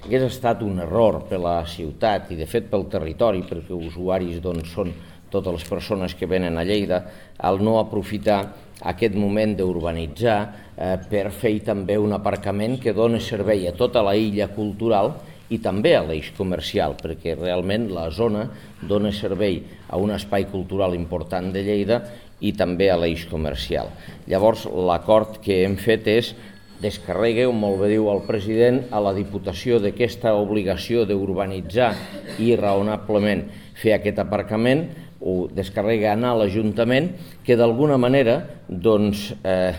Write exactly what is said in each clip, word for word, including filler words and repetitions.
hagués estat un error per la ciutat i de fet pel territori, perquè usuaris doncs, són totes les persones que venen a Lleida, el no aprofitar aquest moment d'urbanitzar eh, per fer també un aparcament que dona servei a tota la illa cultural i també a l'eix comercial, perquè realment la zona dona servei a un espai cultural important de Lleida i també a l'eix comercial. Llavors, l'acord que hem fet és descarregue, com molt bé diu el president, a la Diputació d'aquesta obligació d'urbanitzar i raonablement fer aquest aparcament, ho descarrega anar a l'Ajuntament, que d'alguna manera doncs, eh,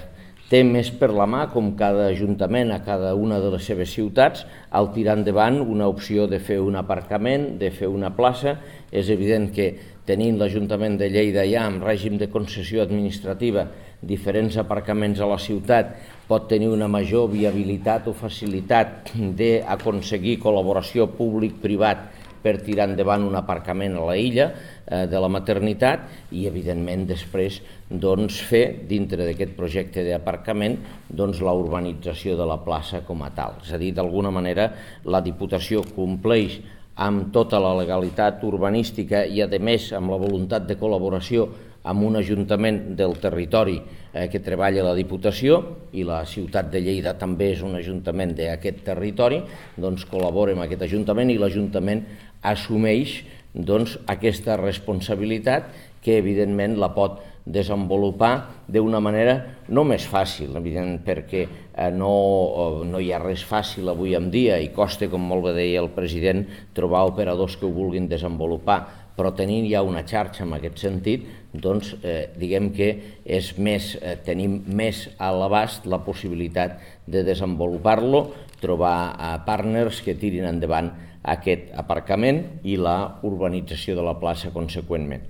té més per la mà, com cada ajuntament a cada una de les seves ciutats, al tirar endavant una opció de fer un aparcament, de fer una plaça. És evident que tenint l'Ajuntament de Lleida ja en règim de concessió administrativa diferents aparcaments a la ciutat, pot tenir una major viabilitat o facilitat d'aconseguir col·laboració públic-privat per tirar endavant un aparcament a la illa eh, de la maternitat i, evidentment, després doncs, fer, dintre d'aquest projecte d'aparcament, doncs, la urbanització de la plaça com a tal. És a dir, d'alguna manera, la Diputació compleix amb tota la legalitat urbanística i, a més, amb la voluntat de col·laboració amb un ajuntament del territori eh, que treballa a la Diputació, i la ciutat de Lleida també és un ajuntament d'aquest territori, doncs col·labora amb aquest ajuntament i l'Ajuntament assumeix doncs, aquesta responsabilitat que evidentment la pot desenvolupar d'una manera no més fàcil, evident, perquè eh, no, no hi ha res fàcil avui en dia i costa, com molt bé deia el president, trobar operadors que ho vulguin desenvolupar, però tenint ja una xarxa en aquest sentit, doncs eh, diguem que és més, eh, tenim més a l'abast la possibilitat de desenvolupar-lo, trobar eh, partners que tirin endavant aquest aparcament i la urbanització de la plaça conseqüentment.